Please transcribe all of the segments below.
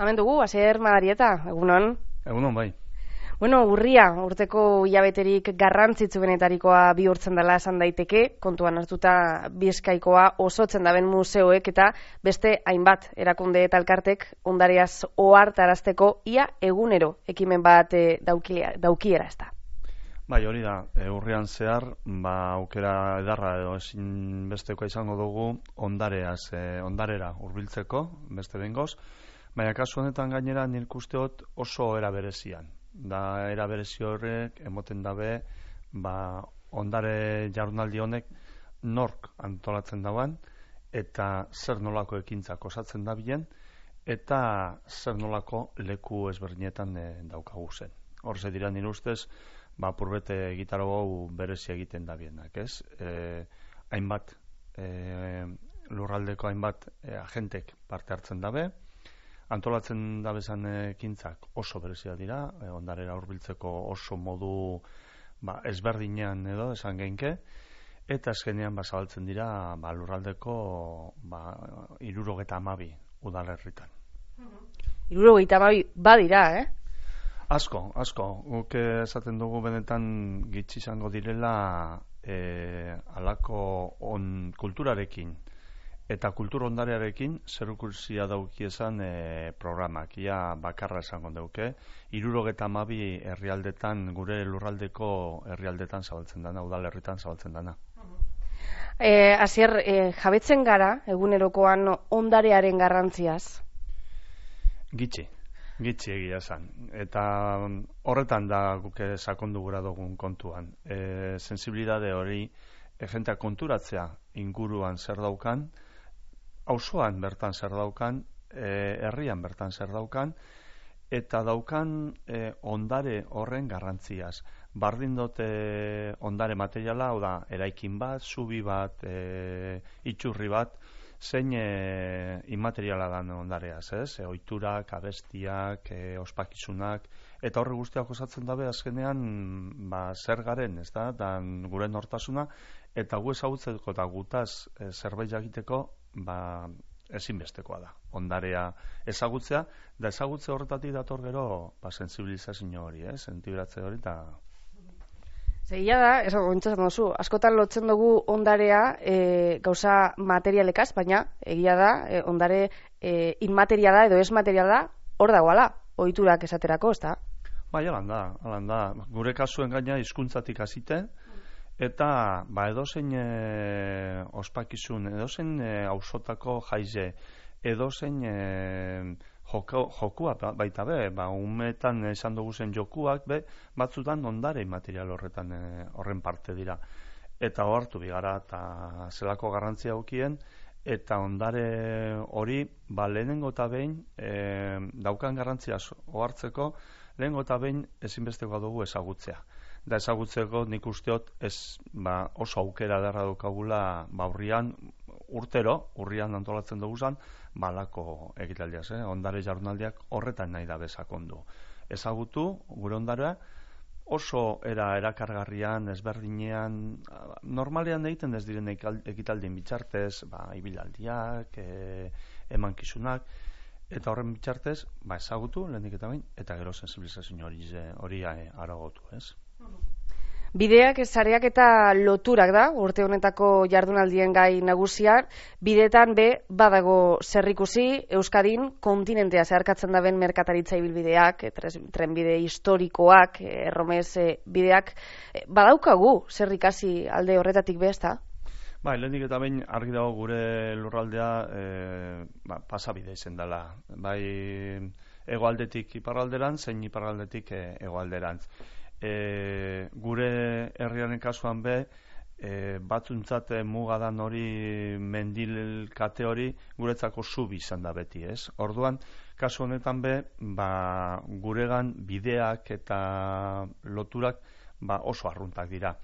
Hemen dugu, Asier Madarieta, egunon. Egunon, bai. Bueno, urria, urteko hilabeterik garrantzitsuenetarikoa bihurtzen dela esan daiteke, kontuan hartuta Bizkaikoa osotzen daben museoek eta beste hainbat erakunde eta elkartek ondareaz ohartarazteko ia egunero ekimen bat daukiera ez da. Bai, hori da, urrian zehar, aukera edarra edo ezin bestekoa izango dugu ondarera hurbiltzeko, beste behingoz, baina kasu honetan gainera nik usteot oso era berezian. Da era berezi horrek emoten dabe ondare jardunaldi honek nork antolatzen dauan eta zer nolako ekintzak osatzen dabilen eta zer nolako leku ezberdinetan daukagu zen. Horze dira nire ustez, purbete gitaro hau berezi egiten dabienak, ez? Hainbat, lurraldeko hainbat agentek parte hartzen dabe, antolatzen dabezan ekintzak oso berezia dira, ondarera hurbiltzeko oso modu ezberdinean edo esan geinke, eta azkenean zabaltzen dira lurraldeko 72 udalerritan. 72 badira, Asko. Guk esaten dugu benetan gitxi izango direla alako kulturarekin eta kultur ondarearekin zerikusia daukiesan programak. Ia bakarra esango duke. 72 herrialdetan, gure lurraldeko herrialdetan zabaltzen dana, udalerritan zabaltzen dana. Asier, jabetzen gara egunerokoan ondarearen garrantziaz? Gitxi egia esan. Eta horretan da guk sakondu gura dugun kontuan. Sensibilidade hori jentea konturatzea inguruan zer daukan, auzoan bertan zer daukan, herrian bertan zer daukan, eta daukan ondare horren garrantziaz. Bardin dute ondare materiala, hau da, eraikin bat, zubi bat, itxurri bat, zein inmateriala dan ondareaz, ez? Ohiturak, abestiak, ospakizunak, eta horre guztiak osatzen dabe azkenean zer garen, ez da, dan gure nortasuna, eta gu ezagutzeko eta gutaz zerbait jakiteko ezinbestekoa da. Ondarea ezagutzea, da ezagutze horretatik dator gero sensibilizazio hori, sentibiratze hori, eta... Zegia da, ontsatzen duzu, askotan lotzen dugu ondarea gauza materialekaz, baina egia da, ondare inmateriala edo ez materiala hor dagoala, ohiturak esaterako, ez da? Bai, alan da. Gure kasuen gaina hizkuntzatik hasite, eta edozein ospakizun, edozein auzotako jaize, edozein jokua baita be, umetan esan dugu zen jokuak batzutan ondare material horren parte dira. Eta ohartu bigara eta zelako garrantzia aukien, eta ondare hori lehenengo eta behin daukan garrantzia ohartzeko, lehenengo eta behin ezinbestekoa dugu ezagutzea. Da ezagutzeko nik usteot oso aukera derra daukagula urrian antolatzen dugu zan, balako egitaldiaz, ondare jardunaldiak horretan nahi da bezakondu. Ezagutu, gure ondarea, oso erakargarrian, ezberdinean, normalean egiten ez diren ekitaldien bitxartez, ibilaldiak, emankizunak, eta horren bitxartez, ezagutu, lehenik eta bain, eta gero sensibilizazio hori aragotu, ez? Bideak, sareak eta loturak da, urte honetako jardunaldien gai nagusia, bideetan badago zerrikusi, Euskadin kontinentea zeharkatzen daben merkataritza ibilbideak, trenbide historikoak, erromez bideak, badaukagu zerrikasi alde horretatik ezta? Lehenik eta behin argi dago gure lurraldea pasabide izen dela. Hegoaldetik iparralderantz, zein iparraldetik hegoalderantz. Gure herriaren kasuan batzuntzat mugadan hori mendilkate hori guretzako zubi izan da beti, ez? Orduan, kasu honetan guregan bideak eta loturak oso arruntak dira.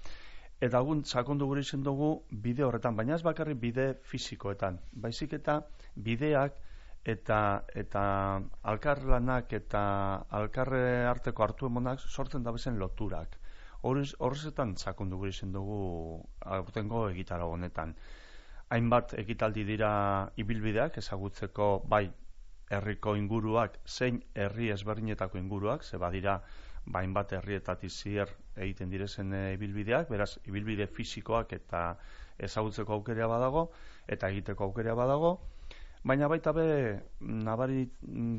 Eta gun, sakondu gure izen dugu bide horretan, baina ez bakarrik bide fizikoetan, baizik eta bideak eta alkarlanak eta alkarre arteko hartu emonak sortzen dabezen loturak. Horrezetan sakondu gure izen dugu aurtengo egitara honetan. Hainbat ekitaldi dira ibilbideak ezagutzeko herriko inguruak, zein herri ezberdinetako inguruak, ze badira hainbat herrietatik zier egiten direzen ibilbideak, beraz, ibilbide fisikoak eta ezagutzeko aukera badago, eta egiteko aukera badago, baina baita be, nabari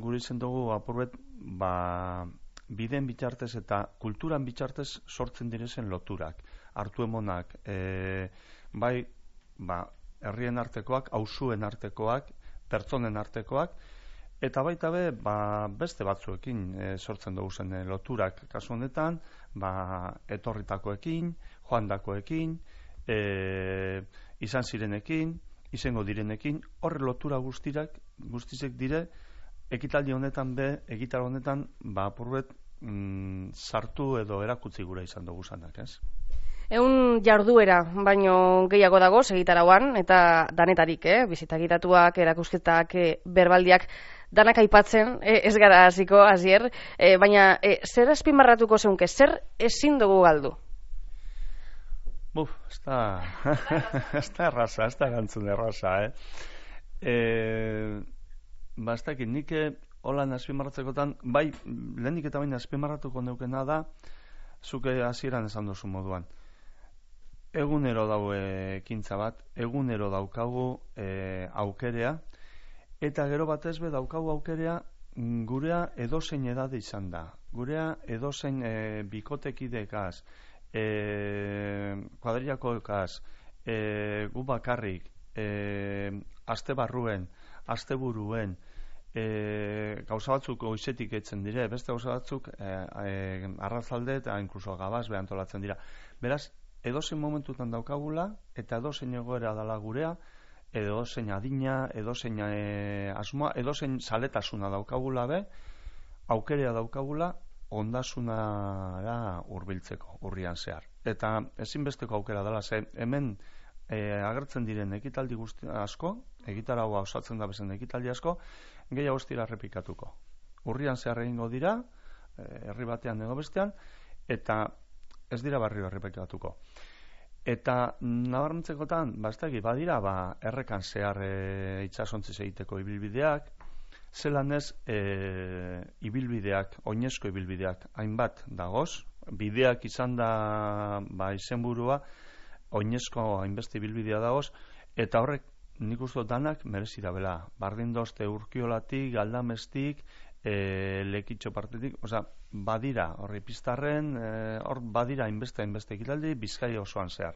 gure izen dugu apurbet, bideen bitartez eta kulturan bitartez sortzen direzen loturak, hartu emonak, bai, herrien artekoak, auzuen artekoak, pertsonen artekoak, eta baita be, beste batzuekin sortzen dugu zen loturak, kasu honetan, etorritakoekin, joandakoekin, izan zirenekin, izango direnekin, horre lotura guztizek dire, ekitaldi honetan egitar honetan, apurbet, sartu edo erakutzi gura izan dugu zanak, ez? Ehun jarduera, baino gehiago dago segitarauan, eta danetarik, bizitagitatuak, erakusketak, berbaldiak, danak aipatzen, ez gara hasiko, Asier, baina zer azpimarratuko zeunke, zer ezin dugu galdu? Ez da erraza, ez da gantzun erraza, ez dakit, nik holan azpimarratzekotan, bai, lehenik eta baina azpimarratuko neukena da, zuke hasieran esan duzu moduan. Egunero daue ekintza bat, egunero daukagu aukerea, eta gero batez be daukagu aukerea gurea edozein edade izan da. Gurea edozein bikotekidekaz, kuadrillakoekaz, gu bakarrik, aste barruen, aste buruen, gauza batzuk goizetik etzen dire, beste gauza batzuk arrazalde eta inkluso gabaz behantolatzen dira. Beraz, edozein momentutan daukagula, eta edozein egoera dala gurea, edozein adina, edozein asmoa, edozein zaletasuna daukagula be, aukerea daukagula, ondasunara hurbiltzeko, urrian zehar. Eta ezinbesteko aukera dela, ze hemen agertzen diren ekitaldi guzti asko, egitaragoa osatzen da bezen ekitaldi asko, gehiago ez dira errepikatuko. Urrian zehar egingo dira, herri batean edo bestean, eta ez dira barrio errepikatuko. Eta nabarmentzekotan, badira, errekan zehar itsasontziz egiteko ibilbideak, zelan ez ibilbideak, oinezko ibilbideak, hainbat dagoz, bideak izan da izenburua, oinezko hainbeste ibilbidea dagoz, eta horrek nik uste danak merezi da bela. Bardindoste Urkiolatik, Galdamestik, Lekitxo partetik, badira, horri piztarren, hor badira hainbeste ekitaldi, Bizkaia osoan zehar.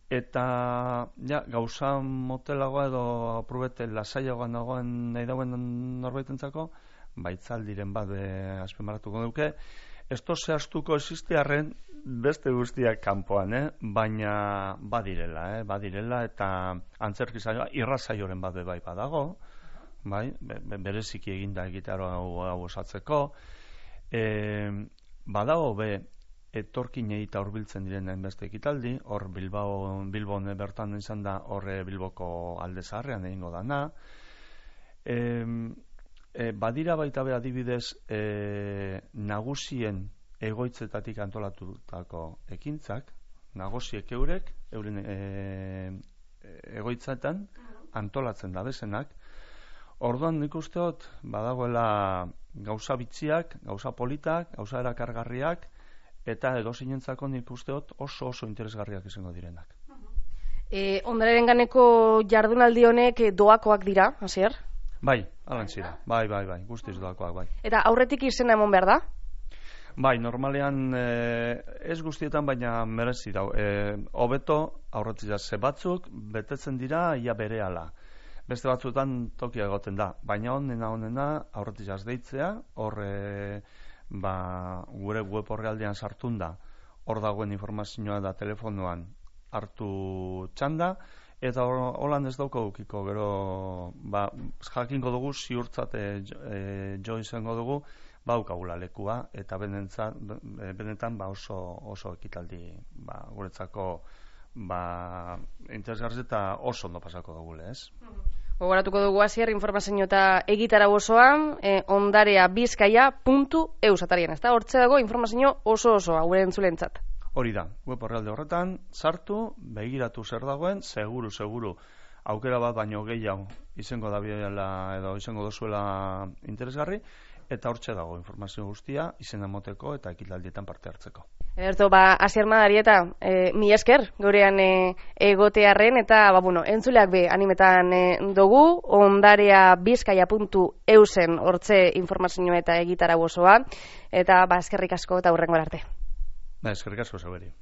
Eta gauza motelagoa edo aprobete lasaiagoan dagoen nahi dauen norbaitentzako, baitzaldiren bat azpimarratuko duke, ez zehaztuko existiarren beste guztiak kanpoan, baina badirela eta antzerki saioa, irrasaioren bat bai badago, bereziki eginda egitaro hau osatzeko, badago etorkinei eta hurbiltzen diren hainbeste ekitaldi, hor Bilbon bertan izan da, horre Bilboko alde zaharrean egingo dana. Badira baita be adibidez nagusien egoitzetatik antolatutako ekintzak, nagusiek euren egoitzetan antolatzen da bezenak. Orduan nik usteot badagoela gauza bitziak, gauza politak, gauza erakargarriak, eta edozinentzako nik usteot oso interesgarriak izango direnak. Ondararen ganeko jardunaldi honek doakoak dira, Asier? Bai, alantzira, bai, guztiz doakoak, bai. Eta aurretik izena emon behar da? Bai, normalean ez guztietan, baina merezi dau. Hobeto aurretik ze batzuk betetzen dira ia berehala. Beste batzuetan tokia egoten da, baina honena aurretik deitzea, hor gure web orrialdean sartun da, hor dagoen informazioa da telefonoan hartu txanda, eta holan ez daukagukiko, gero jakingo dugu, ziurtzate jo izango dugu, baukagula lekua, eta benetan oso ekitaldi guretzako interesgarri eta oso ondo pasako dugule, ez? Gogoratuko dugu Asier informazio eta egitarau osoan ondarea.bizkaia.eu atarien, ezta? Hortze dago informazio osoa gure entzulentzat. Hori da, web orrialde horretan sartu, begiratu zer dagoen, seguru aukera bat baino gehiago izango dabiela edo izango dozuela interesgarri, eta hortxe dago informazio guztia, izena moteko eta ekitaldietan parte hartzeko. Eberto, Asier Madarieta, mi esker, gurean egotearren, eta, entzuleak be, animetan dugu, ondarea bizkaia.eusen hortze informazioa eta egitara osoa, eta eskerrik asko eta hurrengo arte. Eskerrik asko zeuberi.